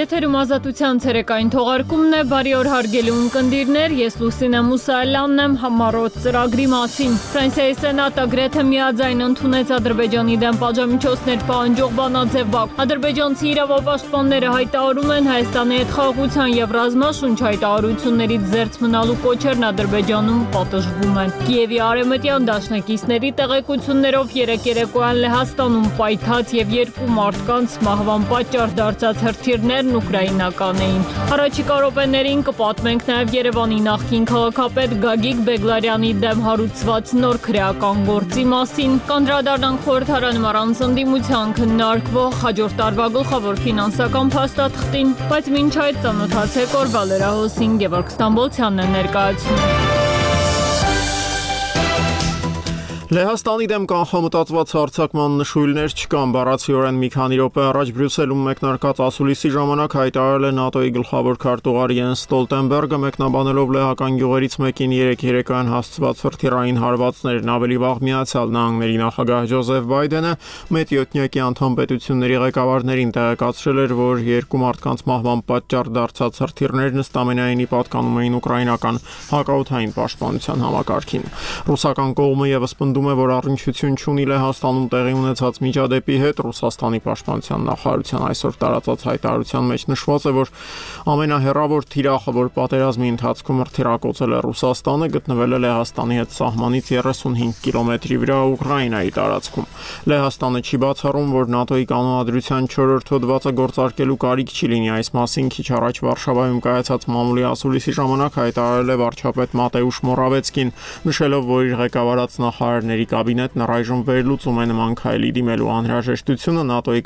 Եթերում ազատության ցերեկային թողարկումն է, բարի օր հարգելի ունկնդիրներ, ես Լուսինե Մուսայելյանն եմ համառոտ ծրագրի մասին։ Ֆրանսիայի սենատը գրեթե միաձայն ընդունեց Ադրբեջանի դեմ պատժամիջոցներ պահանջող բանաձև Բաքու։ Ադրբեջանցի իրավապաշտպանները հայտարարում են Հայաստանի հետ խաղաղության եւ ռազմաշունչ հայտարարություններից զերծ մնալու կոչերն Ադրբեջանում պատժվում են։ Կիևի արևմտյան դաշնակիցների տեղեկություններով երեկ երեկոյան Լեհաստանում պայթած եւ երկու մարդկանց մահվան պատճառ դարձած հրթիռներն ուկրաինական էին։ Առաջիկա րոպեներին կպատմենք նաև Երևանի նախկին քաղաքապետ Գագիկ Բեգլարյանի դեմ հարուցված նոր քրեական գործի մասին։ Կանդրադառնանք խորհրդարանում առանց ընդդիմության քննարկվող հաջորդ տարվա գլխավոր ֆինանսական փաստաթղթին, բայց մինչ այդ ծանոթացեք օրվա լրահոսին Գևորգ Ստամբոլցյանն է ներկայացնում։ Լեհաստանի դեմ կանխամտածված հարձակման նշույլներ չկան, բառացիորեն մի քանի րոպե առաջ Բրյուսելում մեկնարկած ասուլիսի ժամանակ հայտարարել է ՆԱՏՕ-ի գլխավոր քարտուղար Յենս Ստոլտենբերգը, մեկնաբանելով լեհական գյուղերից մեկին երեկոյան հասցված հրթիռային հարվածներն, ավելի վաղ Միացյալ Նահանգների նախագահ Ջոզեֆ Բայդենը մեծ յոթնյակի անդամ պետությունների ղեկավարներին տեղեկացրել էր, որ երկու մարդկանց մահվան պատճառ դարձած հրթիռներն ըստամենայնի պատկանում էին ուկրաինական հակաօդային պաշտպանության համակարգին։ Ռուսական կողմը եւս է, որ առնչություն չունի Լեհաստանում տեղի ունեցած միջադեպի հետ։ Ռուսաստանի պաշտպանության նախարարության այսօր տարածած հայտարարության մեջ նշված է, որ ամենահեռավոր թիրախը, որ պատերազմի ընթացքում հրթիռակոծել է Ռուսաստանը, գտնվել է Լեհաստանի հետ սահմանից 35 կիլոմետրի վրա Ուկրաինայի տարածքում։ Լեհաստանը չի բացառում, որ ՆԱՏՕ-ի կանոնադրության 4-րդ հոդվածը գործարկելու կարիք չի լինի։ Այս մասին քիչ առաջ Վարշավայում կայացած մամուլի ասուլիսի ժամանակ հայտարարել է վարչապետ Մատեուշ Մորավեցկին, նշելով, որ իր ղեկավարած նախարարների կաբինետն առայժմ վերլուծում է նման քայլի դիմելու անհրաժեշտությունը։ ՆԱՏՕ-ի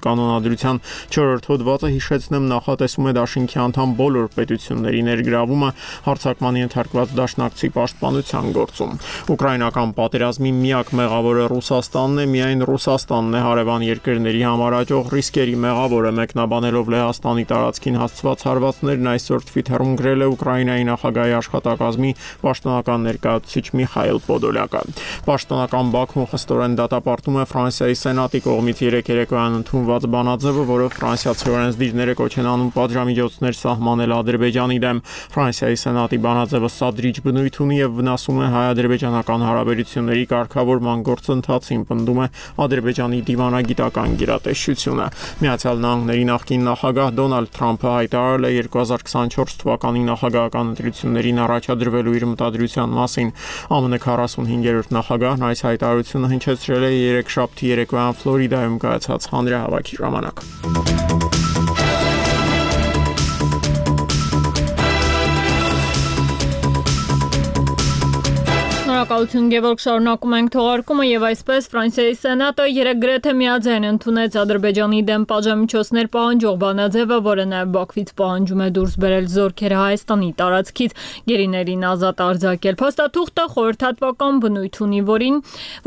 կանոնադրության 4-րդ հոդվածը, հիշեցնեմ, նախատեսում է դաշինքի անդամ բոլոր պետությունների ներգրավումը հարձակման ենթարկված դաշնակցի պաշտպանության գործում։ Ուկրաինական պատերազմի միակ մեղավորը Ռուսաստանն է, միայն Ռուսաստանն է հարևան երկրների համար աճող ռիսկերի մեղավորը, մեկնաբանելով Լեհաստանի տարածքին հասցված հարվածներն այսօր Թվիթերում գրել է Ուկրաինայի նախագահի աշխատակազմի պաշտոնական ներկայացուցիչ Միխայիլ Պոդոլյակը։ Պաշտոնական Բաքուն խստորեն դատապարտում է Ֆրանսիայի սենատի կողմից երեկոյան ընդունված բանաձևը, որով ֆրանսիացի օրենսդիրները կոչ են անում պատժամիջոցներ սահմանել Ադրբեջանի դեմ։ Ֆրանսիայի սենատի բանաձևը սադրիչ բնույթ ունի եւ վնասում է հայ-ադրբեջանական հարաբերությունների կարգավորման գործընթացին, պնդում է Ադրբեջանի դիվանագիտական գերատեսչությունը։ Միացյալ Նահանգների նախկին նախագահ Դոնալդ Թրամփը հայտարարել է 2024 թվականի նախագահական ընտրություններին առաջադրվելու իր մտադրության մասին։ ԱՄՆ 45-րդ նախագահն այս հայտարարությունը հնչեցրել է երեքշաբթի երեկոյան Ֆլորիդայում կայացած հանրահավաքի ժամանակ։ Շնորհակալություն Գևորգ, շարունակում ենք թողարկումը եւ այսպես Ֆրանսիայի սենատը երեկ գրեթե միաձայն ընդունեց Ադրբեջանի դեմ պատժամիջոցներ պահանջող բանաձևը, որը նաեւ Բաքվից պահանջում է դուրս բերել զորքերը Հայաստանի տարածքից, գերիներին ազատ արձակել։ Փաստաթուղթը խորհրդատվական բնույթ ունի,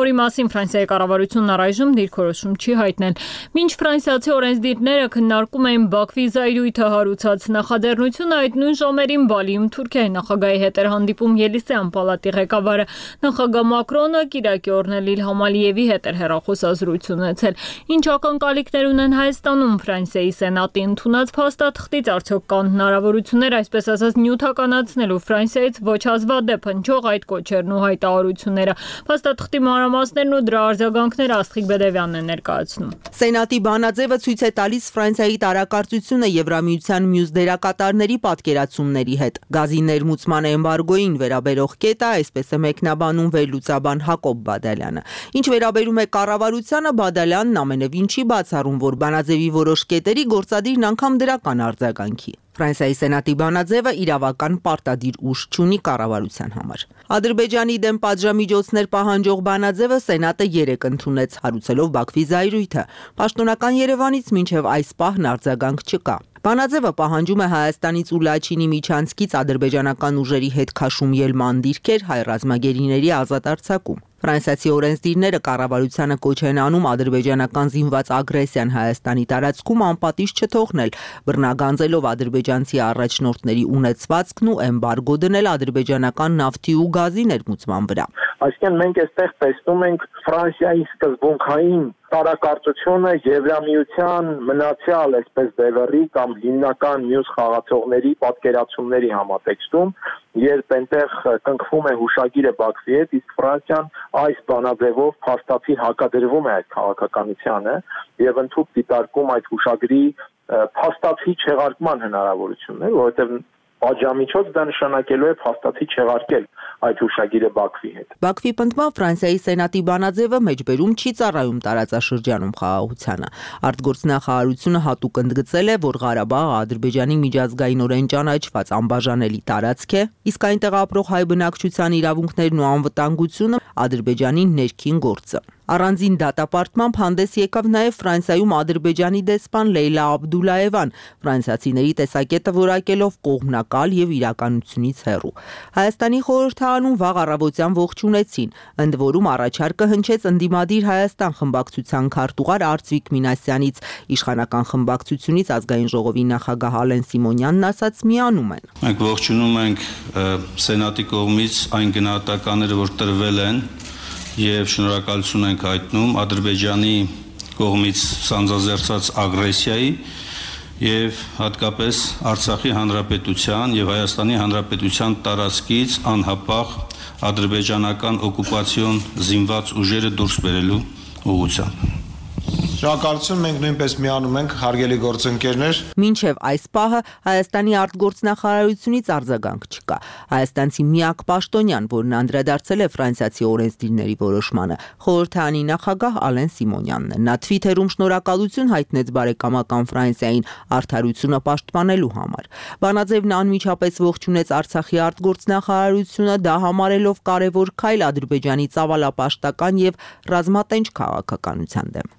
որի մասին Ֆրանսիայի կառավարությունն առայժմ դիրքորոշում չի հայտնել։ Մինչ ֆրանսիացի օրենսդիրները քննարկում էին Բաքվի զայրույթը հարուցած նախաձեռնությունը, այդ նույն ժամերին Բալիում Թուրքիայի նախագահի հետ էր հանդիպում Ելիսեյան պալատի ղեկավարը։ Նախագահ Մակրոնը Կիրակի օրն Իլհամ Ալիևի հետ էր հեռախոսազրույց ունեցել։ Ինչ ակնկալիքներ ունեն Հայաստանում Ֆրանսիայի սենատի ընդունած փաստաթղթից, արդյոք կան հնարավորություններ, այսպես ասած, նյութականացնելու Ֆրանսիայից ոչ հազվադեպ հնչող այդ կոչերն ու հայտարարությունները։ Փաստաթղթի մանրամասներն ու դրա արձագանքները Աստղիկ Բեդևյանն է ներկայացնում։ Սենատի բանաձևը ցույց է տալիս Ֆրանսիայի տարակարծությունը Եվրամիության մյուս դերակատարների պատկերացումների հետ։ Գազի ներմուծման էմբարգոին վերաբերող կետը այսպես է մեկնաբանում վերլուծաբան Հակոբ Բադալյանը։ Ինչ վերաբերում է կառավարությանը, Բադալյանն ամենևին չի բացառում, որ բանաձևի որոշ կետերի գործադիրն անգամ դրական արձագանքի։ Ֆրանսիայի սենատի բանաձևը իրավական պարտադիր ուժ չունի կառավարության համար։ Ադրբեջանի դեմ պատժամիջոցներ պահանջող բանաձևը սենատը երեկ ընդունեց, հարուցելով Բաքվի զայրույթը։ Պաշտոնական Երևանից մինչև այս պահն արձագանք չկա։ Բանաձևը պահանջում է Հայաստանից ու Լաչինի միջանցքից ադրբեջանական ուժերի հետ քաշում ելման դիրքեր, հայ ռազմագերիների ազատ արձակում։ Ֆրանսիացի օրենսդիրները կառավարությանը կոչ են անում ադրբեջանական զինված ագրեսիան Հայաստանի տարածքում անպատիժ չթողնել, բռնագանձելով ադրբեջանցի առաջնորդների ունեցվածքն ու էմբարգո դնել ադրբեջանական նավթի ու գազի ներմուծման վրա։ Այսինքն մենք այստեղ տեսնում ենք Ֆրանսիայի սկզբունքային տարակարծությունը Եվրամիության մնացյալ այսպես բևեռի կամ հիմնական մյուս խաղացողների պատկերացումների համատեքստում, երբ այնտեղ կնքվում է հուշագիրը Բաքվի հետ, իսկ Ֆրանսիան այս բանաձևով փաստացի հակադրվում է այդ քաղաքականությանը եւ ընդհանուր դիտարկում այդ հուշագրի փաստացի չեղարկման հնարավորություններ, որովհետեւ Պատժամիջոց դա նշանակելու է փաստացի չեղարկել այդ հուշագիրը Բաքվի հետ։ Բաքվի պնդմամբ Ֆրանսիայի սենատի բանաձևը մեջբերում չի ծառայում տարածաշրջանում խաղաղությանը։ Արտգործնախարարությունը հատուկ ընդգծել է, որ Ղարաբաղը Ադրբեջանի միջազգայինորեն ճանաչված անբաժանելի տարածք է, իսկ այնտեղ ապրող հայ բնակչության իրավունքներն ու անվտանգությունը Ադրբեջանի ներքին գործը։ Առանձին դատապարտմամբ հանդես եկավ նաև Ֆրանսիայում Ադրբեջանի դեսպան Լեյլա Աբդուլաևան, ֆրանսիացիների տեսակետը որակելով կողմնակալ եւ իրականությունից հեռու։ Հայաստանի խորհրդարանում վաղ առավոտյան ողջունեցին, ընդ որում առաջարկը հնչեց ընդդիմադիր Հայաստան խմբակցության քարտուղար Արծվիկ Մինասյանից, իշխանական խմբակցությունից ազգային ժողովի նախագահ Ալեն Սիմոնյանն ասաց միանում են։ Մենք ողջունում ենք սենատի կողմից այն գնահատականները, որ տրվել են եւ շնորհակալություն ենք հայտնում Ադրբեջանի կողմից սանձազերծած ագրեսիայի եւ հատկապես Արցախի հանրապետության եւ Հայաստանի հանրապետության տարածքից անհապաղ ադրբեջանական օկուպացիոն զինված ուժերը դուրս բերելու ուղղությամբ։ Շնորհակալություն, մենք նույնպես միանում ենք, հարգելի գործընկերներ։ Մինչև այս պահը Հայաստանի արտգործնախարարությունից արձագանք չկա։ Հայաստանցի միակ պաշտոնյան, որն անդրադարձել է ֆրանսիացի օրենսդիրների որոշմանը, խորհրդարանի նախագահ Ալեն Սիմոնյանն է։ Նա Twitter-ում շնորհակալություն հայտնեց բարեկամական Ֆրանսիային արդարությունը պաշտպանելու համար։ Բանաձևն անմիջապես ողջունեց Արցախի արտգործնախարարությունը, դա համարելով կարևոր քայլ Ադրբեջանի ծավալապաշտական եւ ռազմատենչ քաղաքականության դեմ։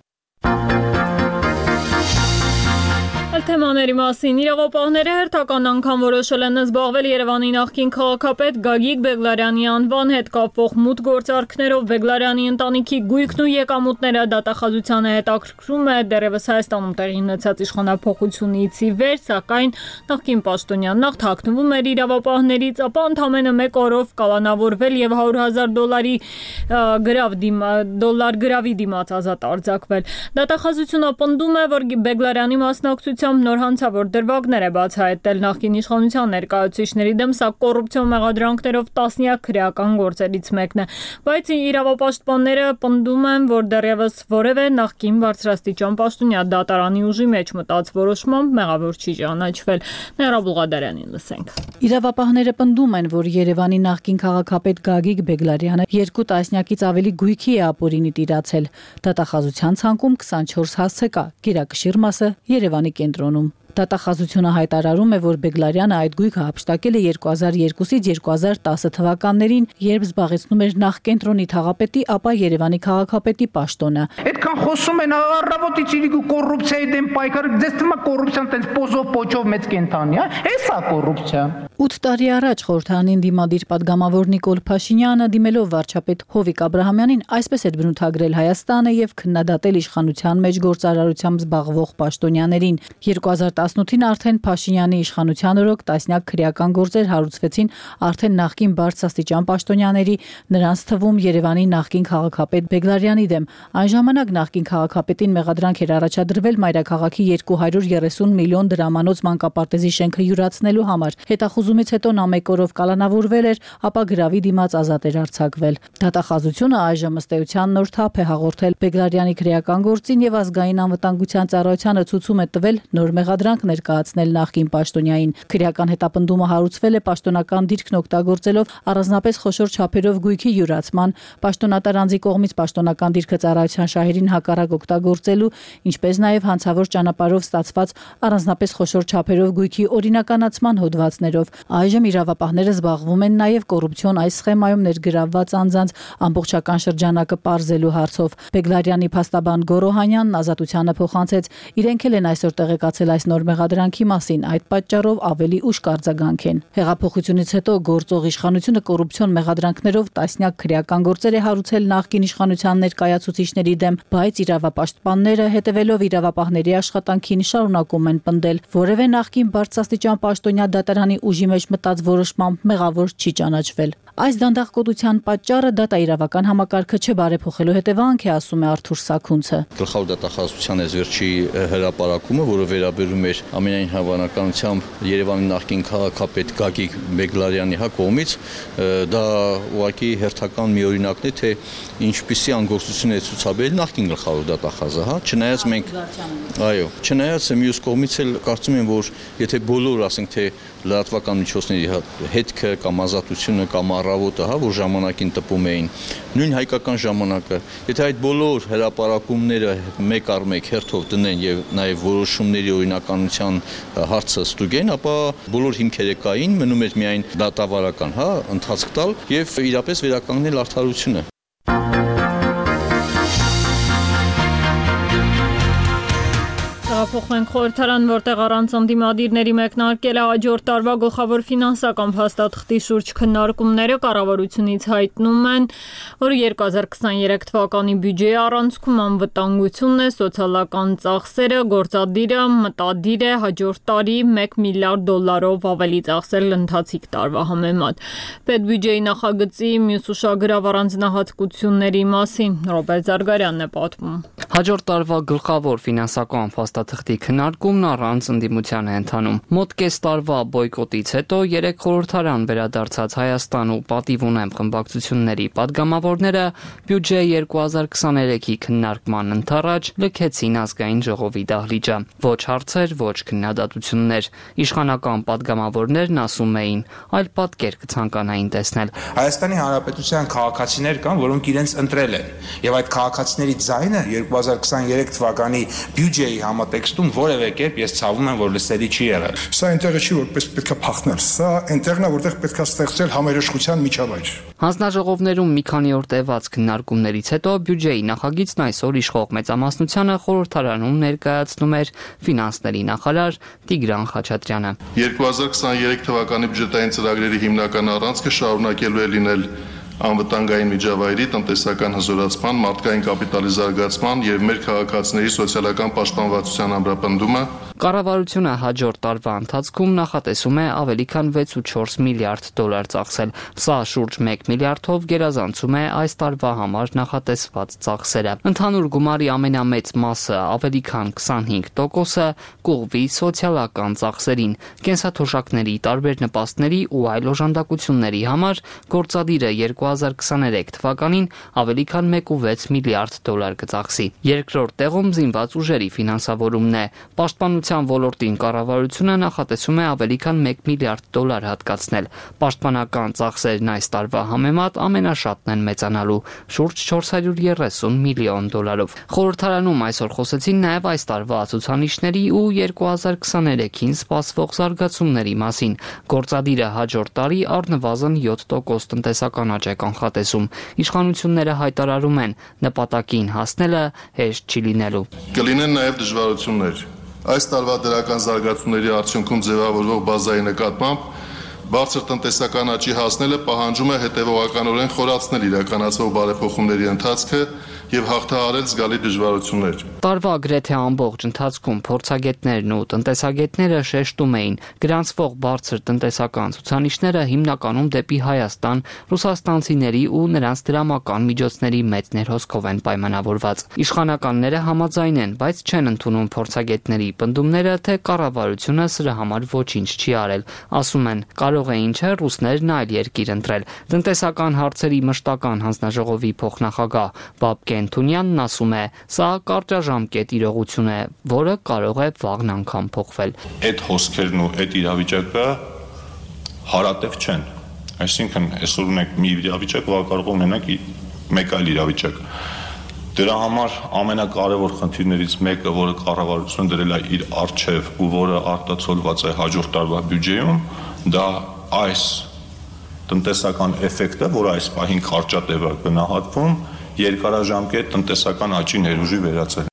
Թեմաների մասին իրավապահները հերթական անգամ որոշել են զբաղվել Երևանի նախկին քաղաքապետ Գագիկ Բեգլարյանի անվան հետ կապվող մութ գործարքներով։ Բեգլարյանի ընտանիքի գույքն ու եկամուտները դատախազությանը հետաքրքրում է դեռևս Հայաստանում տեղի ունեցած իշխանափոխությունից ի վեր, սակայն նախկին պաշտոնյան նախ թաքնվում էր իրավապահներից, ապա ընդամենը 1 օրով կալանավորվել եւ $100,000 գրավի դիմաց ազատ արձակվել։ Դատախազությունը պնդում է, որ Բեգլարյանի մասնակցությամբ նոր հանցավոր դրվագներ է բացահայտել նախկին իշխանության ներկայացուցիչների դեմ, սա կոռուպցիոն մեղադրանքներով տասնյակ քրեական գործերից մեկն է, բայց իրավապաշտպանները պնդում են, որ դեռևս որևէ նախկին բարձրաստիճան պաշտոնյա դատարանի ուժի մեջ մտած որոշմամբ մեղավոր չի ճանաչվել։ Ներա Բուլղադարյանին լսենք։ Իրավապահները պնդում են, որ Երևանի նախկին քաղաքապետ Գագիկ Բեգլարյանը 2 տասնյակից ավելի գույքի է ապօրինի տիրացել։ Դատախազության ցանկում 24 հասցե կա, գերակշիռ մասը Երևանի կենտրոնում։ Դատախազությունը հայտարարում է, որ Բեգլարյանը այդ գույքը հափշտակել է 2002-ից 2010 թվականներին, երբ զբաղեցնում էր նախ կենտրոնի թաղապետի, ապա Երևանի քաղաքապետի պաշտոնը։ Այդքան խոսում են առավոտից իրիկու կոռուպցիայի դեմ պայքարը, դες թվում է կոռուպցիան տենց պոզով պոչով մեծ կենթանի, էսա կոռուպցիա։ 8 տարի առաջ խորհրդարանին դիմադիր падգամավոր Նիկոլ Փաշինյանը դիմելով վարչապետ Հովիկ Աբրահամյանին այսպես էր բնութագրել Հայաստանը եւ քննադատել իշխանության մեջ գործարարությամբ զբաղվող պաշտոնյաներին։ 2018-ին արդեն Փաշինյանի իշխանության օրոք տասնյակ քրեական գործեր հարուցվեցին արդեն նախկին բարձրաստիճան պաշտոնյաների, նրանց թվում Երևանի նախկին քաղաքապետ Բեգլարյանի դեմ։ Այն ժամանակ նախկին քաղաքապետին մեղադրանք էր առաջադրվել մայրաքաղաքի 230 միլիոն դրամանոց մանկապարտեզի շենքը յուրացնելու համար։ Հետախուզումից հետո նա 1 օրով կալանավորվել էր, ապա գրավի դիմաց ազատ էր արձակվել։ Դատախազությունը այժմ ըստ էության նոր թափ է հաղորդել Բեգլարյանի քրեական գործին եւ ազգային անվտանգության ծառայությանը ցուցում է տվել նոր մեղադրանք ներկայացնել նախկին պաշտոնյային։ Քրեական հետապնդումը հարուցվել է պաշտոնական դիրքն օգտագործելով առանձնապես խոշոր չափերով գույքի յուրացման, պաշտոնատար անձի կողմից պաշտոնական դիրքը ծառայության շահերին հակառակ օգտագործելու, ինչպես նաև հանցավոր ճանապարհով ստացված առանձնապես խոշոր չափերով գույքի օրինականացման հոդվածներով։ Այժմ իրավապահները զբաղվում են նաև կոռուպցիոն այս սխեմայում ներգրավված անձանց ամբողջական շրջանակը պարզելու հարցով։ Բեգլարյանի փաստաբան Գորոհանյանն ազատությանը փոխանցեց, իրենք էլ են այսօր տեղեկացել այս նոր նոր մեղադրանքի մասին, այդ պատճառով ավելի ուշ կարձագանք են։ Հեղափոխությունից հետո գործող իշխանությունը կոռուպցիոն մեղադրանքներով տասնյակ քրեական գործեր է հարուցել նախկին իշխանության ներկայացուցիչների դեմ, բայց իրավապաշտպանները հետևելով իրավապահների աշխատանքին շարունակում են պնդել, որևէ նախկին բարձրաստիճան պաշտոնյա դատարանի ուժի մեջ մտած որոշմամբ մեղավոր չի ճանաչվել։ Այս դանդաղկոտության պատճառը դատաիրավական համակարգը չբարեփոխելու հետևանք է, ասում է Արթուր Սաքունցը։ Գլխավոր դատախազության վերջի հրապարակումը, որը վերաբերում էր ամենայն հավանականությամբ Երևանի նախկին քաղաքապետ Գագիկ Բեգլարյանի կողմից, դա ուղղակի հերթական մի օրինակն է, թե ինչպիսի անգործություն է ցուցաբերել նախկին գլխավոր դատախազը, չնայած մենք չնայած մյուս կողմից էլ կարծում եմ, որ եթե բոլոր, ասենք թե լրատվական միջոցների հետքը կամ ազատությունը կամ առավոտը, որ ժամանակին տպում էին, նույն հայկական ժամանակը, եթե այդ բոլոր հրապարակումները մեկ առ մեկ հերթով դնեն եւ նաեւ որոշումների օրինականության հարցը ստուգեն, ապա բոլոր հիմքերը կային, մնում էր միայն դատավարական, ընթացք տալ եւ իրապես վերականգնել արդարությունը։ Փոխվենք խորհրդարան, որտեղ առանց ընդդիմադիրների մեկնարկել է հաջորդ տարվա գլխավոր ֆինանսական փաստաթղթի շուրջ քննարկումները, կառավարությունից հայտնում են, որ 2023 թվականի բյուջեի առանցքում անվտանգությունն է, սոցիալական ծախսերը, գործադիրը մտադիր է հաջորդ տարի $1 միլիարդ ավելի ծախսել ընթացիկ տարվա համեմատ։ Պետբյուջեի նախագծի մյուս ուշագրավ առանձնահատկությունների մասին Ռոբերտ Զարգարյանն է պատմում։ Հաջորդ տարվա գլխավոր ֆինանսական փաստաթղթի քննարկումն առանց ընդդիմության է ընթանում։ Մոտ կես տարվա բոյկոտից հետո 3 խորհրդարան վերադարձած Հայաստան ու պատիվ ունեմ խմբակցությունների падգամավորները բյուջե 2023-ի քննարկման ընթառաջ լքեցին ազգային ժողովի դահլիճը։ Ոչ հարցեր, ոչ քննադատություններ։ Իշխանական падգամավորներն ասում էին, այլ պատկեր կցանկանային տեսնել։ Հայաստանի Հանրապետության քաղաքացիներ կան, որոնք իրենց ընտրել են, եւ այդ քաղաքացիների ձայնը 2023 թվականի բյուջեի համատեքստում որևէ կերպ ես ցավում եմ, որ լսելի չի եղել։ Սա այնտեղը չի, որպես պետք է փախնել։ Սա այնտեղն է, որտեղ պետք է ստեղծել համերաշխության միջավայր։ Հանձնաժողովներում մի քանի օր տևած քննարկումներից հետո բյուջեի նախագիծն այսօր իշխող մեծամասնությանը խորհրդարանում ներկայացնում էր ֆինանսների նախարար Տիգրան Խաչատրյանը։ 2023 թվականի բյուջետային ծրագրերի հիմնական առանցքը շարունակելու է լինել անվտանգային միջավայրի, տնտեսական հզորացման, մարդկային կապիտալի զարգացման եւ մեր քաղաքացիների սոցիալական պաշտպանվածության ամրապնդումը։ Կառավարությունը հաջորդ տարվա ընթացքում նախատեսում է ավելի քան $6.4 միլիարդ ծախսել։ Սա շուրջ $1 միլիարդով գերազանցում է այս տարվա համար նախատեսված ծախսերը։ Ընդհանուր գումարի ամենամեծ մասը, ավելի քան 25%-ը կուղղվի սոցիալական ծախսերին, կենսաթոշակների, տարբեր նպաստների ու այլ օժանդակությունների համար գործադիրը 2023 թվականին ավելի քան $1.6 միլիարդ կծախսի։ Երկրորդ տեղում զինված ուժերի ֆինանսավորումն է։ Պաշտպանության ոլորտին կառավարությունը նախատեսում է ավելի քան $1 միլիարդ հատկացնել։ Պաշտպանական ծախսերն այս տարվա համեմատ ամենաշատն են մեծանալու՝ շուրջ $430 միլիոն։ Խորհրդարանում այսօր խոսեցին նաև այս տարվա ցուցանիշների ու 2023-ին սպասվող զարգացումների մասին։ Գործադիրը հաջորդ տարի առնվազն 7% տնտեսական աճ է կանխատեսում։ Իշխանությունները հայտարարում են, նպատակին հասնելը հեշտ չի լինելու։ Կլինեն նաև դժվարություններ։ Այս տարվա դրական զարգացումների արդյունքում ձևավորվող բազայի նկատմամբ բարձր տնտեսական աճի հասնելը պահանջում է հետևողականորեն խորացնել իրականացվող բարեփոխումների ընթացքը եւ հաղթահարել զգալի դժվարություններ։ Տարվա գրեթե ամբողջ ընթացքում փորձագետներն ու տնտեսագետները շեշտում էին, գրանցվող բարձր տնտեսական ցուցանիշները հիմնականում դեպի Հայաստան, ռուսաստանցիների ու նրանց դրամական միջոցների մեծ ներհոսքով են պայմանավորված։ Իշխանականները համաձայն են, բայց չեն ընդունում փորձագետների պնդումները, թե կառավարությունը սրա համար ոչինչ չի արել։ Ասում են, կարող էին չէ ռուսներն այլ երկիր ընտրել։ Տնտեսական հարցերի մշտական հանձնաժողովի փոխնախագահ Բաբկեն Թունյանն ասում է, սա կարճաժամկետ իրողություն է, որը կարող է վաղն անգամ փոխվել։ Այդ հոսքերն ու այդ իրավիճակը հարատև չեն։ Այսինքն այսօր ունենք մի իրավիճակ, որը կարող ունենանք մեկ այլ իրավիճակ։ Դրա համար ամենակարևոր խնդիրներից մեկը, որը կառավարությունը դրել է իր առջև ու որը արտացոլված է հաջորդ տարվա բյուջեում, դա այս տնտեսական էֆեկտը, որը այս պահին կարճատև է գնահատվում, երկարաժամկետ տնտեսական աճի ներուժի վերածել։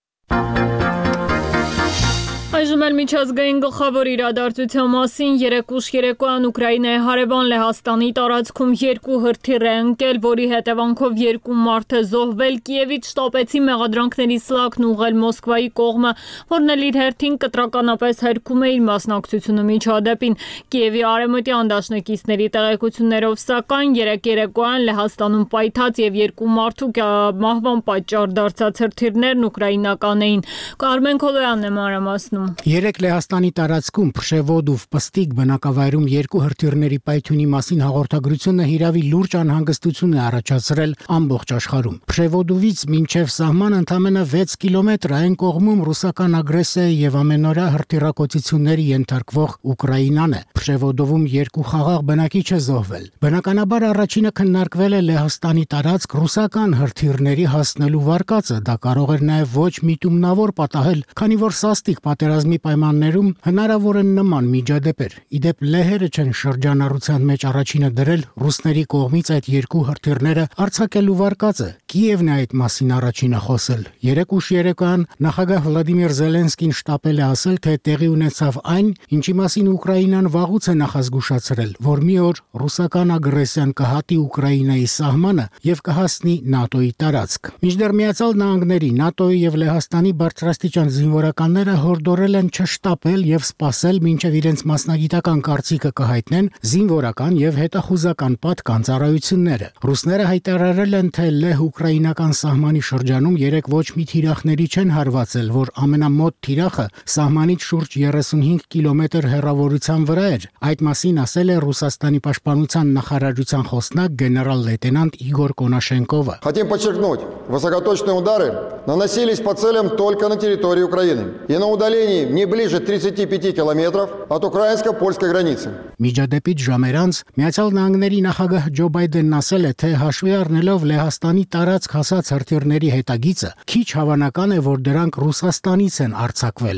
Այժմ էլ միջազգային գլխավոր իրադարձության մասին երեկ ուշ երեկոյան Ուկրաինայի հարևան Լեհաստանի տարածքում 2 հրթիռ է ընկել, որի հետևանքով 2 մարդ է զոհվել։ Կիևից շտապեցի մեղադրանքների սլաքն ուղղել Մոսկվայի կողմը, որն էլ իր հերթին կտրականապես հերքում է իր մասնակցությունը միջադեպին։ Կիևի արևմտյան դաշնակիցների տեղեկություններով սակայն երեկ երեկոյան Լեհաստանում պայթած եւ 2 մարդու մահվան պատճառ դարձած հրթիռներն ուկրաինական էին։ Կարմեն Քոլոյանն է մանրամասնում։ Երեկ Լեհաստանի տարածքում Փշեվոդով Պստիկ բնակավայրում 2 հրթիռների պայթյունի մասին հաղորդագրությունը հիրավի լուրջ անհանգստություն է առաջացրել ամբողջ աշխարհում։ Փշեվոդովից մինչև սահման ընդամենը 6 կիլոմետր այն կողմում ռուսական ագրեսիայի եւ ամենօրյա հրթիռակոծությունների ենթարկվող Ուկրաինան է։ Փշեվոդովում 2 խաղաղ բնակիչ է զոհվել։ Բնականաբար առաջինը քննարկվել է Լեհաստանի տարածք ռուսական հրթիռների հասնելու վարկածը։ Դա կարող էր նաեւ ոչ միտումնավոր պատահել, քանի որ սաստիկ պատերազմի պայմաններում հնարավոր են նման միջադեպեր։ Իդեպ լեհերը չեն շրջանառության մեջ առաջինը դրել ռուսների կողմից այդ 2 հրթիռները արձակելու վարկածը։ Կիևն է այդ մասին առաջինը խոսել։ Երեկ ուշ երեկոյան նախագահ Վլադիմիր Զելենսկին շտապել է ասել, թե տեղի ունեցավ այն, ինչի մասին Ուկրաինան վաղուց է նախազգուշացրել, որ մի օր ռուսական ագրեսիան կհատի Ուկրաինայի սահմանը եւ կհասնի ՆԱՏՕ-ի տարածք։ Մինչդեռ Միացյալ Նահանգների, ՆԱՏՕ-ի եւ Լեհաստանի բարձրաստիճան զինվորականները հորդորել են չշտապել եւ սպասել, մինչեւ իրենց մասնագիտական կարծիքը կհայտնեն զինվորական եւ հետախուզական պատկան ծառայությունները։ Ռուսները հայտարարել են, թե լեհ-ուկրաինական սահմանի շրջանում երեք ոչ մի թիրախների չեն հարվածել, որ ամենամոտ թիրախը սահմանից շուրջ 35 կիլոմետր հեռավորության վրա էր։ Այդ մասին ասել է Ռուսաստանի պաշտպանության նախարարության խոսնակ գեներալ-լեյտենանտ Իգոր Կոնաշենկովը։ Хотим подчеркнуть, высокоточные удары наносились по целям только на территории Украины и на удалении не ближе 35 километров от украинско-польской границы. Միջադեպից ժամեր անց Միացյալ Նահանգների նախագահ Ջո Բայդենն ասել է, թե հաշվի առնելով Լեհաստանի տարածք հասած հրթիռների հետագիծը, քիչ հավանական է, որ դրանք Ռուսաստանից են արձակվել։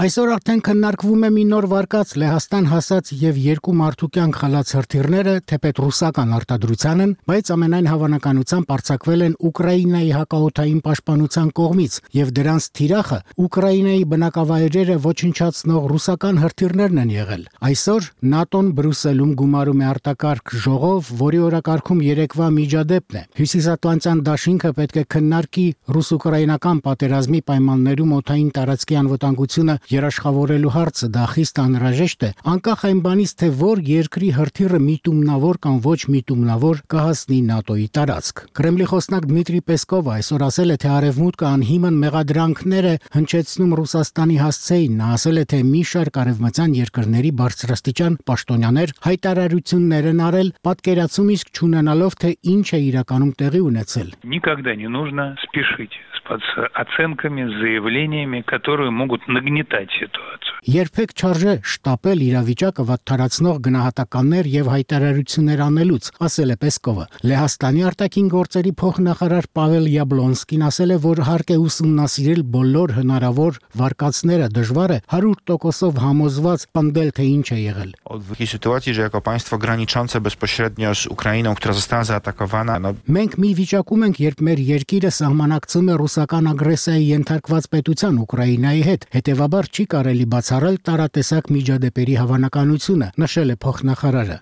Այսօր արդեն քննարկվում է մի նոր վարկած Լեհաստան հասած եւ 2 մարդու կյանք խլած հրթիռները, թեպետ ռուսական արտադրության են, բայց ամենայն հավանականությամբ արձակվել են Ուկրաինայի հակաօդային պաշտպանության կողմից եւ դրանց թիրախը Ուկրաինայի բնակավայրերը ոչնչացնող ռուսական հրթիռներն են եղել։ Այսօր ՆԱՏՕ-ն Բրյուսելում գումարում է արտակարգ ժողով, որի օրակարգում երեկվա միջադեպն է։ Հյուսիսատլանտյան դաշինքը պետք է քննարկի ռուս-ուկրաինական պատերազմի պայմաններում օդային տարածքի անվտանգությունը երաշխավորելու հարցը։ Դա խիստ անհրաժեշտ է, անկախ այն բանից, թե որ երկրի հրթիռը միտումնավոր կամ ոչ միտումնավոր կհասնի ՆԱՏՕ-ի տարածք։ Կրեմլի խոսնակ Դմիտրի Պեսկովը այսօր ասել է, թե արևմուտքը անհիմն մեղադրանքներ է հնչեցնում Ռուսաստանի հասցեին։ Նա ասել է, թե մի շարք արևմտյան երկրների բարձրաստիճան պաշտոնյաներ հայտարարություններ են արել, պատկերացում իսկ չունենալով, թե ինչ է իրականում տեղի ունեցել։ Никогда не нужно спешить с оценками, с заявлениями, которые могут нагнетать ситуацию. Երբեք չարժե շտապել իրավիճակը վատթարացնող գնահատականներ եւ հայտարարություններ անելուց, ասել է Պեսկովը։ Լեհաստանի արտաքին գործերի փոխնախարար Պավել Յաբլոնսկին ասել է, որ հարկ է ուսումնասիրել բոլոր հնարավոր վարկածները, դժվար է 100%-ով համոզված պնդել, թե ինչ է եղել։ W takiej sytuacji, że jako państwo graniczące bezpośrednio z Ukrainą, która została zaatakowana, Մենք մի վիճակում ենք, երբ մեր երկիրը սահմանակցում է ռուսական ագրեսիայի ենթարկված պետության Ուկրաինայի հետ, հետևաբար չի կարելի բացառել տարատեսակ միջադեպերի հավանականությունը, նշել է փոխնախարարը։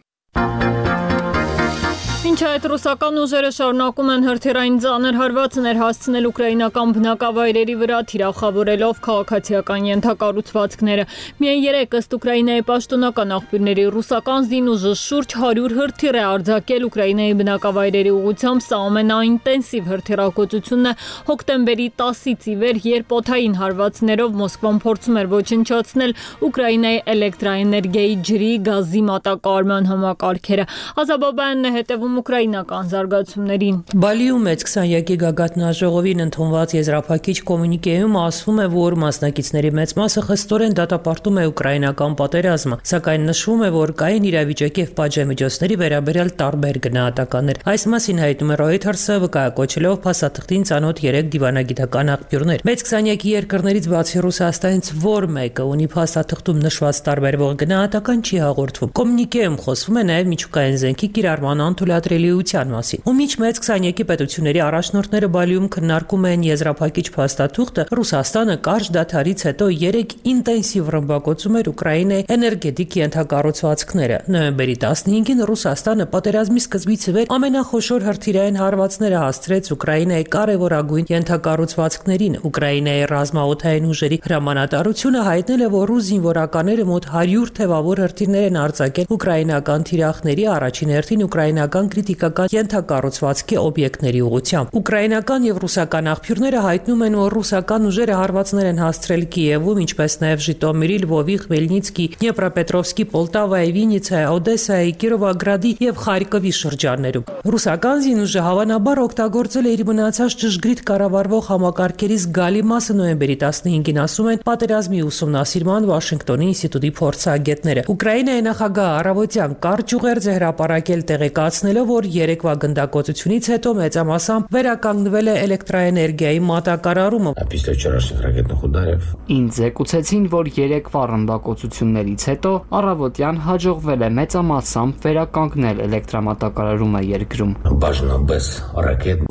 Ինչ այդ ռուսական ուժերը շարունակում են հրթիռային ծանր հարվածներ հասցնել ուկրաինական բնակավայրերի վրա, թիրախավորելով քաղաքացիական ենթակառուցվածքները։ Միայն երեկ ըստ Ուկրաինայի պաշտոնական աղբյուրների ռուսական զինուժը շուրջ 100 հրթիռ է արձակել Ուկրաինայի բնակավայրերի ուղղությամբ։ Սա ամենաինտենսիվ հրթիռակոծությունն է հոկտեմբերի 10-ից ի վեր, երբ օդային հարվածներով Մոսկվան փորձում էր ոչնչացնել Ուկրաինայի էլեկտրաէներգիայի, ջրի, գազի մատակարարման համակարգերը։ Ազաբաբյանն է հետևում ուկրաինական զարգացումներին։ Բալիում մեծ 20-յակի գագաթնաժողովին ընդունված եզրափակիչ կոմունիկեում ասվում է, որ մասնակիցների մեծ մասը խստորեն դատապարտում է ուկրաինական պատերազմը, սակայն նշվում է, որ կային իրավիճակի եւ պատժամիջոցների վերաբերյալ տարբեր գնահատականներ։ Այս մասին հայտնում է Reuters-ը, վկայակոչելով փաստաթղթին ծանոթ 3 դիվանագիտական աղբյուրներ։ Մեծ 20-յակի երկրներից բացի Ռուսաստանից որ մեկը ունի փաստաթղթում նշված տարբերվող գնահատական չի հաղորդվում։ Կոմունիկեում խոսվում է նաեւ միջուկային զենքի կիրառման անթույլատրելի խնդրելիության մասին։ Ու միջ մեծ 23-ի պետությունների առաջնորդները Բալիում քննարկում են եզրափակիչ փաստաթուղթը, Ռուսաստանը կարճ դադարից հետո 3 ինտենսիվ ռմբակոծում էր Ուկրաինայի էներգետիկ ենթակառուցվածքները։ Նոյեմբերի 15-ին Ռուսաստանը պատերազմի սկզբից ի վեր ամենախոշոր հրթիռային հարվածները հասցրեց Ուկրաինայի կարևորագույն ենթակառուցվածքներին։ Ուկրաինայի ռազմաօդային ուժերի հրամանատարությունը հայտնել է, որ ռուս զինվորականները մոտ 100 թևավոր հրթիռներ են արձակել ուկրաինական թիրախների, առաջին հերթին ուկրաինական քրիտիկական ենթակառուցվածքի օբյեկտների ուղղությամբ։ Ուկրաինական եւ ռուսական աղբյուրները հայտնում են, որ ռուսական ուժերը հարվածներ են հասցրել Կիևում, ինչպես նաեւ Ժիտոմիրի, Լվովի, Խմելնիցկի, Դնեպրոպետրովսկի, Պոլտավայի, Վիննիցայի, Օդեսայի, Կիրովոգրադի եւ Խարկովի շրջաններում։ Ռուսական զինուժը հավանաբար օգտագործել է իր մնացած ճշգրիտ կառավարվող համակարգերի զգալի մասը նոյեմբերի 15-ին, ասում են պատերազմի ուսումնասիրման Վաշինգտոնի ինստիտուտի փորձագետները։ Ուկրաինայի նախագահ առավոտյան կարճ ուղերձ է հրապարակել, տեղեկացնելով, որ երեկվա գնդակոծությունից հետո մեծամասամբ վերականգնվել է էլեկտրաէներգիայի մատակարարումը։ Ինձ զեկուցեցին, որ երեկվա ռմբակոծություններից հետո առավոտյան հաջողվել է մեծամասամբ վերականգնել էլեկտրամատակարարումը երկրում։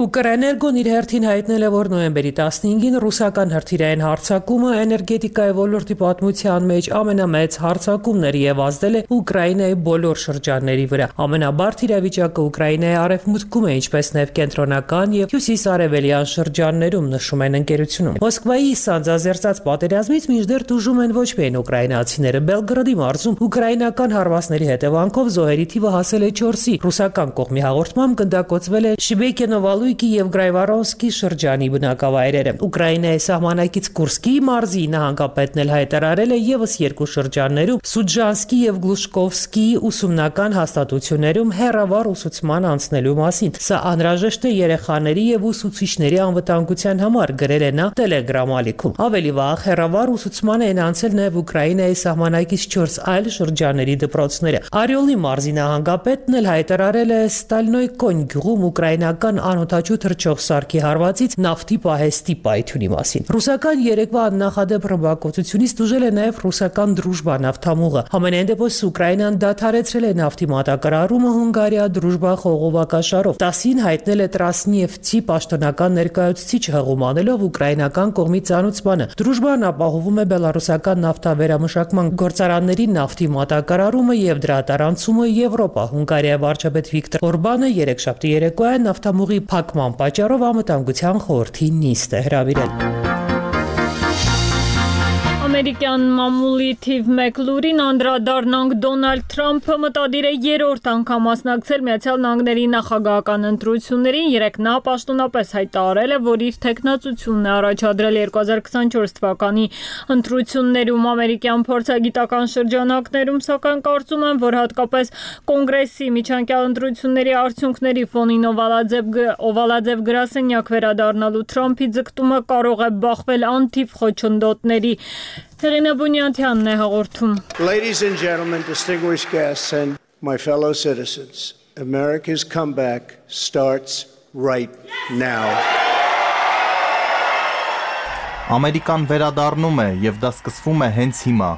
Ուկրաիներգոն իր հերթին հայտնել է, որ նոյեմբերի 15-ին ռուսական հրթիռային հարձակումը էներգետիկայի ոլորտի պատմության մեջ ամենամեծ հարձակումն էր եւ ազդել է Ուկրաինայի բոլոր շրջանների վրա։ Ամենաբարդ իրավիճակը Ուկրաինայի արևմուտքում է, ինչպես նաեւ կենտրոնական եւ հյուսիսարևելյան շրջաններում, նշում են ընկերությունում։ Մոսկվայի սանձազերծած պատերազմից մինչդեռ տուժում են ոչ միայն ուկրաինացիները։ Բելգրադի մարզում ուկրաինական հարվածների հետևանքով զոհերի թիվը հասել է 4-ի։ Ռուսական կողմի հաղորդմամբ գնդակոծվել է Շիբեկենովալույկի եւ Գրայվարոնսկի շրջանի բնակավայրերը։ Ուկրաինայի սահմանակից Կուրսկի մարզի նահանգապետն էլ հայտարարել է եւս 2 շրջաններում Սուջանսկի եւ Գլուշկովսկի ուսումնական հաստատություններում հեռավար ուսուցման անցնելու մասին։ Սա անհրաժեշտ է երեխաների եւ ուսուցիչների անվտանգության համար, գրել է նա Telegram ալիքում։ Ավելի վաղ հեռավար ուսուցման են անցել նաեւ Ուկրաինայի սահմանակից 4 այլ շրջանների դպրոցները։ Արիոլի մարզի նահանգապետն էլ հայտարարել է Ստալնոյկոն գյուղում ուկրաինական անօդաչու թռչող սարքի հարվածից նավթի պահեստի պայթյունի մասին։ Ռուսական երեկվա աննախադեպ ռմբակոծությունից տուժել է նաեւ ռուսական Դրուժբա նավթամուղը։ Համենայն դեպս Ուկրաինան դադարեցրել է նավթի մատակարարումը Հունգարիա Դրուժբա խողովակաշարով։ 10-ին հայտնել է Տրասնիևցի պաշտոնական ներկայացուցիչը, հղումանելով ուկրաինական կողմի ցանուցմանը։ Դրուժբան ապահովում է բելարուսական նավթավերամշակման գործարանների նավթի մատակարարումը եւ դրա տարանցումը Եվրոպա։ Հունգարիայի վարչապետ Վիկտոր Օրբանը երեքշաբթի երեկոյան նավթամուղի փակման պատճառով անվտանգության խորհրդի նիստ է հրավիրել։ Ամերիկյան մամուլի թիվ 1 լուրին անդրադառնանք Դոնալդ Թրամփը մտադիր է երրորդ անգամ մասնակցել Միացյալ Նահանգների նախագահական ընտրություններին։ Երեկ նա պաշտոնապես հայտարարել է, որ իր թեկնածությունն է առաջադրել 2024 թվականի ընտրություններում։ Ամերիկյան փորձագիտական շրջանակներում սակայն կարծում են, որ հատկապես կոնգրեսի միջանկյալ ընտրությունների արդյունքների ֆոնին օվալաձև գրասենյակ վերադառնալու Թրամփի ձգտումը կարող է բախվել անթիվ խոչընդոտների։ Ladies and gentlemen, distinguished guests and my fellow citizens, America's comeback starts right now. Ամերիկան վերադառնում է եւ դա սկսվում է հենց հիմա։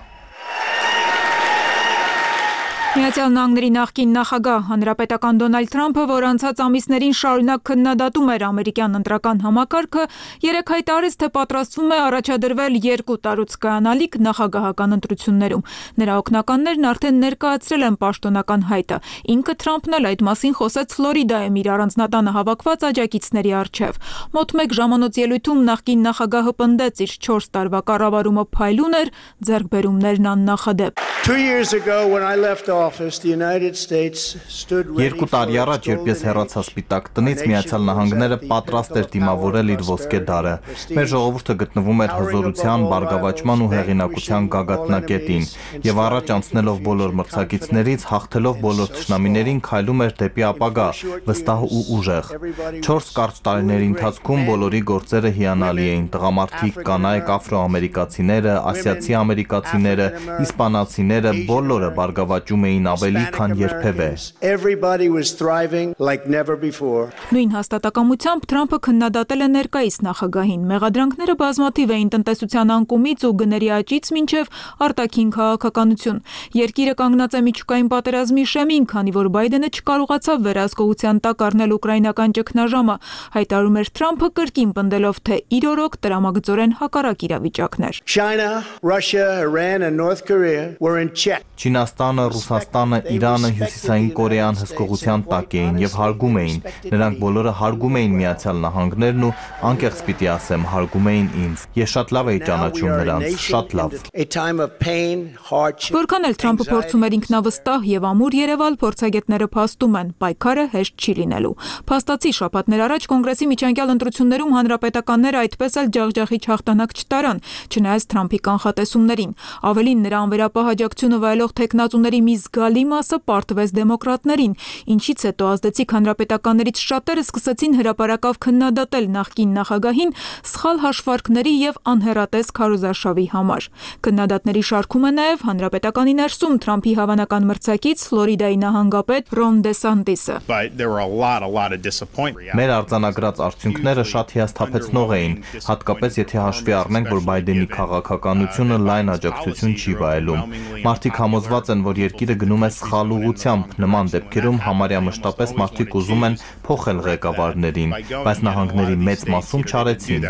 Միացյալ Նահանգների նախկին նախագահ հանրապետական Դոնալդ Թրամփը, որ անցած ամիսներին շարունակ քննադատում էր ամերիկյան ընտրական համակարգը, երեկ հայտարարեց, թե պատրաստվում է առաջադրվել 2 տարուց կայանալիք նախագահական ընտրություններում։ Նրա օգնականներն արդեն ներկայացրել են պաշտոնական հայտը։ Ինքը Թրամփն էլ այդ մասին խոսեց Ֆլորիդայում իր առանձնատանը հավաքված աջակիցների առջև։ Մոտ 1 ժամանոց ելույթում նախկին նախագահը պնդեց, իր 4 տարվա կառավարումը փայլուն էր, ձեռքբերումներն աննախադեպ։ 2 years ago when I left office, the United States stood ready. 2 տարի առաջ, երբ ես հեռացա Սպիտակ տնից, Միացյալ Նահանգները պատրաստ էր դիմավորել իր ոսկե դարը։ Մեր ժողովուրդը գտնվում էր հզորության, բարգավաճման ու հեղինակության գագաթնակետին, եւ առաջ անցնելով բոլոր մրցակիցներից, հաղթելով բոլոր թշնամիներին, քայլում էր դեպի ապագա, վստահ ու ուժեղ։ 4 կարճ տարիների ընթացքում բոլորի գործերը հիանալի էին։ Տղամարդիկ, կանայք, աֆրոամերիկացիները, ասիացի ամերիկացիները, իսպանացիները բոլորը բարգավաճում էին էին ավելի, քան երբևէ։ Everybody was thriving like never before. Նույն հաստատակամությամբ Թրամփը քննադատել է ներկայիս նախագահին։ Մեղադրանքները բազմաթիվ էին տնտեսության անկումից ու գների աճից մինչև արտաքին քաղաքականություն։ Երկիրը կանգնած է միջուկային պատերազմի շեմին, քանի որ Բայդենը չկարողացավ վերահսկողության տակ առնել ուկրաինական ճգնաժամը, հայտարարում էր Թրամփը կրկին պնդելով, թե իր օրոք տրամագծորեն հակառակ իրավիճակներ։ China, Russia, Iran and North Korea were in check. Չինաստանը, Ռուսաստանը, Իրանը, Հյուսիսային Կորեան հսկողության տակ էին եւ հարգում էին։ Նրանք բոլորը հարգում էին Միացյալ Նահանգներն ու անկեղծ պիտի ասեմ, հարգում էին ինձ։ Ես շատ լավ էի ճանաչում նրանց, շատ լավ։ Որքան էլ Թրամփը փորձում էր ինքնավստահ եւ ամուր երևալ, փորձագետները փաստում են, պայքարը հեշտ չի լինելու։ Փաստացի շաբաթներ առաջ Կոնգրեսի միջանկյալ ընտրություններում հանրապետականները այդպես էլ ջախջախի հաղթանակ չտարան, չնայած Թրամփի կանխատեսումներին։ Ավելին, նրա անվերապահ աջակցությունը վայելող թեկնածուների մի զգալի մասը պարտվեց դեմոկրատներին, ինչից հետո ազդեցիկ հանրապետականներից շատերը սկսեցին հրապարակավ քննադատել նախկին նախագահին սխալ հաշվարկների եւ անհեռատես քարոզարշավի համար։ Քննադատների շարքում է նաեւ հանրապետականի ներսում Թրամփի հավանական մրցակից Ֆլորիդայի նահանգապետ Ռոն Դեսանտիսը։ Մեր արձանագրած արդյունքները շատ հիասթափեցնող էին, հատկապես եթե հաշվի առնենք, որ Բայդենի քաղաքականությունը լայն աջակցություն չի վայելում։ Մարդիկ համոզված են, որ երկիրը գնում է սխալ ուղղությամբ, նման դեպքերում համարյա մշտապես մարդիկ ուզում են փոխել ղեկավարներին, բայց նահանգների մեծ մասում չարեցին։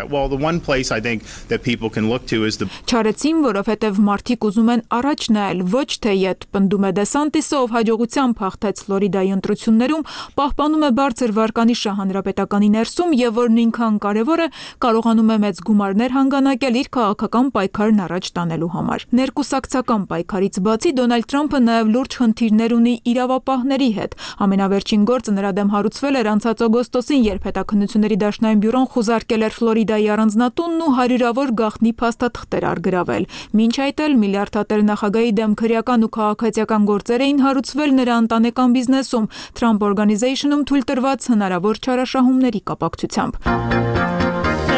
Չարեցին, որովհետև մարդիկ ուզում են առաջ նայել, ոչ թե ետ, պնդում է Դեսանտիսը, ով հաջողությամբ հաղթեց Ֆլորիդայի ընտրություններում, պահպանում է բարձր վարկանիշը հանրապետականի ներսում եւ որ նույնքան կարեւոր է, կարողանում է մեծ գումարներ հանգանակել իր քաղաքական պայքարն առաջ տանելու համար։ Ներկուսակցական պայքարից բացի Դոնալդ Թրամփը նաեւ լուրջ խնդիրներ ունի իրավապահների հետ։ Ամենավերջին գործը նրա դեմ հարուցվել էր անցած օգոստոսին, երբ Հետաքննությունների դաշնային բյուրոն խուզարկել էր Ֆլորիդայի առանձնատունն ու հարյուրավոր գաղտնի փաստաթղթեր արգրավել։ Մինչ այդ էլ միլիարդատեր նախագահի դեմ քրեական ու քաղաքացիական գործեր էին հարուցվել նրա ընտանեկան բիզնեսում Trump Organization-ում թույլ տրված հնարավոր չարաշահումների կապակցությամբ։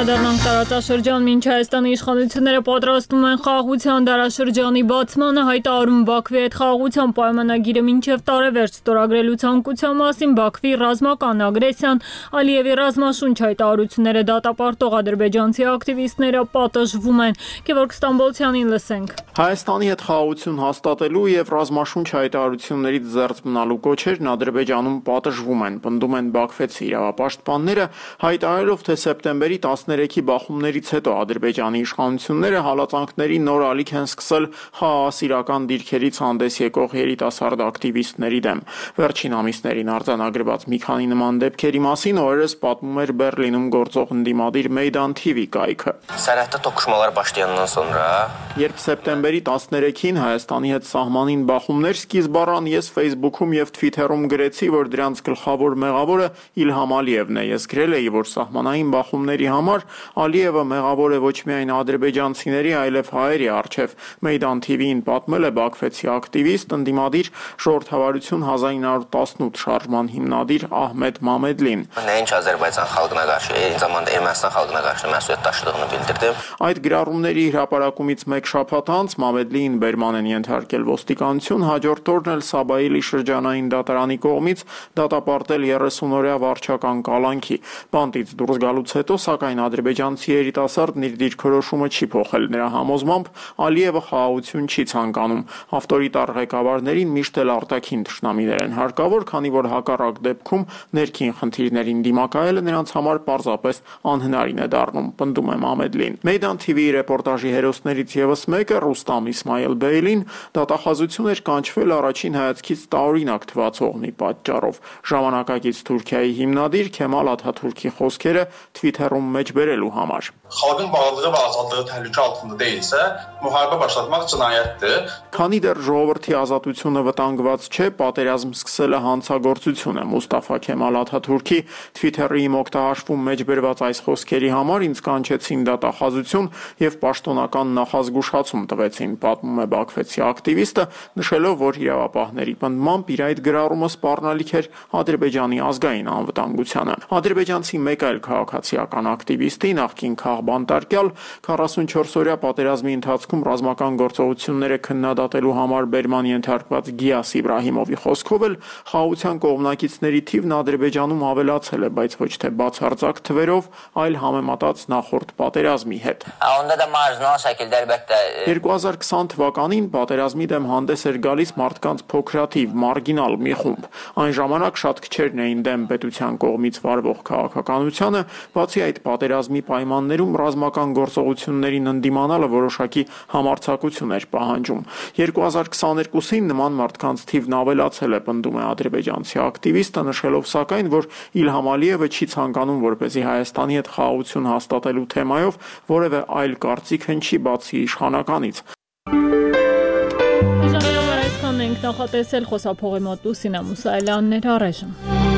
Դառնանք տարածաշրջան, մինչ Հայաստանի իշխանությունները պատրաստում են խաղաղության դարաշրջանի բացմանը, հայտարարում Բաքվի հետ խաղաղության պայմանագիրը մինչև տարեվերջ ստորագրելու ցանկության մասին, Բաքվի ռազմական ագրեսիան, Ալիևի ռազմաշունչ հայտարարությունները դատապարտող ադրբեջանցի ակտիվիստները պատժվում են։ Գևորգ Ստամբոլցյանին լսենք։ Հայաստանի հետ խաղաղություն հաստատելու եւ ռազմաշունչ հայտարարություններից զերծ մնալու կոչերն Ադրբեջանում պատժվում են, պնդում են բաքվեցի իրավապաշտպանները, հայտարարելով, թե սեպտեմբերի 13-ի բախումներից հետո Ադրբեջանի իշխանությունները հալածանքների նոր ալիք են սկսել խաղաղասիրական դիրքերից հանդես եկող երիտասարդ ակտիվիստների դեմ։ Վերջին ամիսներին արձանագրված մի քանի նման դեպքերի մասին օրերս պատմում էր Բեռլինում գործող ընդդիմադիր Meydan TV կայքը։ Սարհատը տոկուշմալար başlayandan sonra Երբ սեպտեմբերի 13-ին Հայաստանի հետ սահմանին բախումներ սկիզբ առան, ես Facebook-ում եւ Twitter-ում գրեցի, որ դրանց գլխավոր մեղավորը Իլհամ Ալիևն է։ Ես գրել էի, որ սահմանային բախումների համար Ալիևը մեղավոր է ոչ միայն ադրբեջանցիների, այլև հայերի առջև։ Meydan TV-ին պատմել է բաքվեցի ակտիվիստ, ընդդիմադիր Ժողովրդավարություն 1918 շարժման հիմնադիր Ահմեդ Մամեդլին։ Nəinki Azərbaycan xalqına qarşı, eyni zamanda Ermənistan xalqına qarşı məsuliyyət daşıdığını bildirdim։ Այդ գրառումների հրապարակումից մեկ շաբաթ անց Մամեդլիին բերման են ենթարկել ոստիկանություն, հաջորդ օրն էլ Սաբայիլի շրջանային դատարանի կողմից դատապարտել 30-օրյա վարչական կալանքի։ Բանտից դուրս գալուց հետո, սակայն ադրբեջանցի երիտասարդն իր դիրքորոշումը չի փոխել։ Նրա համոզմամբ Ալիևը խաղաղություն չի ցանկանում։ Ավտորիտար ղեկավարներին միշտ էլ արտաքին թշնամիներ են հարկավոր, քանի որ հակառակ դեպքում ներքին խնդիրներին դիմակայելը նրանց համար պարզապես անհնարին է դառնում, պնդում է Մամեդլին։ Meydan TV-ի ռեպորտաժի հերոսներից եւս մեկը Ռուստամ Իսմայել Բեյլին դատախազություն էր կանչվել առաջին հայացքից տարօրինակ թվացող մի պատճառով։ Ժամանակակից Թուրքիայի հիմնադիր Քեմալ Աթաթուրքի խոսքերը Twitter-ում մեջ բերելու համար։ Xalqın varlığı və azadlığı təhlükə altında deyilsə, müharibə başlatmaq cinayətdir։ Քանի դեռ ժողովրդի ազատությունը վտանգված չէ, պատերազմ սկսելը հանցագործություն է։ Մուստաֆա Քեմալ Աթաթուրքի Twitter-ի իմ օգտահաշվում մեջ բերված այս խոսքերի համար ինձ կանչեցին դատախազություն եւ պաշտոնական նախազգուշացում տվեցին, պատմում է բաքվեցի ակտիվիստը, նշելով, որ իրավապահների պնդմամբ իր այդ գրառումը սպառնալիք էր Ադրբեջանի ազգային անվտանգությանը։ Ադրբեջանցի մեկ այլ քաղաքացիական ակտիվիստ ակտիվիստի նախկին քաղբանտարկյալ 44-օրյա պատերազմի ընթացքում ռազմական գործողությունները քննադատելու համար բերման ենթարկված Գիաս Իբրահիմովի խոսքով էլ խաղաղության կողմնակիցների թիվն Ադրբեջանում ավելացել է, բայց ոչ թե բացարձակ թվերով, այլ համեմատած նախորդ պատերազմի հետ։ 2020 թվականին պատերազմի դեմ հանդես էր գալիս մարդկանց փոքրաթիվ, մարգինալ մի խումբ։ Այն ժամանակ շատ քչերն էին դեմ պետության կողմից վարվող քաղաքականությանը, բացի այդ պատերազմի պայմաններում ռազմական գործողություններին ընդդիմանալը որոշակի համարձակություն էր պահանջում։ 2022-ին նման մարդկանց թիվն ավելացել է, պնդում է ադրբեջանցի ակտիվիստը, նշելով սակայն, որ Իլհամ Ալիևը չի ցանկանում, որպեսզի Հայաստանի հետ խաղաղություն հաստատելու թեմայով որևէ այլ կարծիք հնչի բացի իշխանականից։ Ժամանակ այսքանն ենք նախատեսել, խոսափողի մոտ Լուսինա Մուսայելյանն էր առայժմ։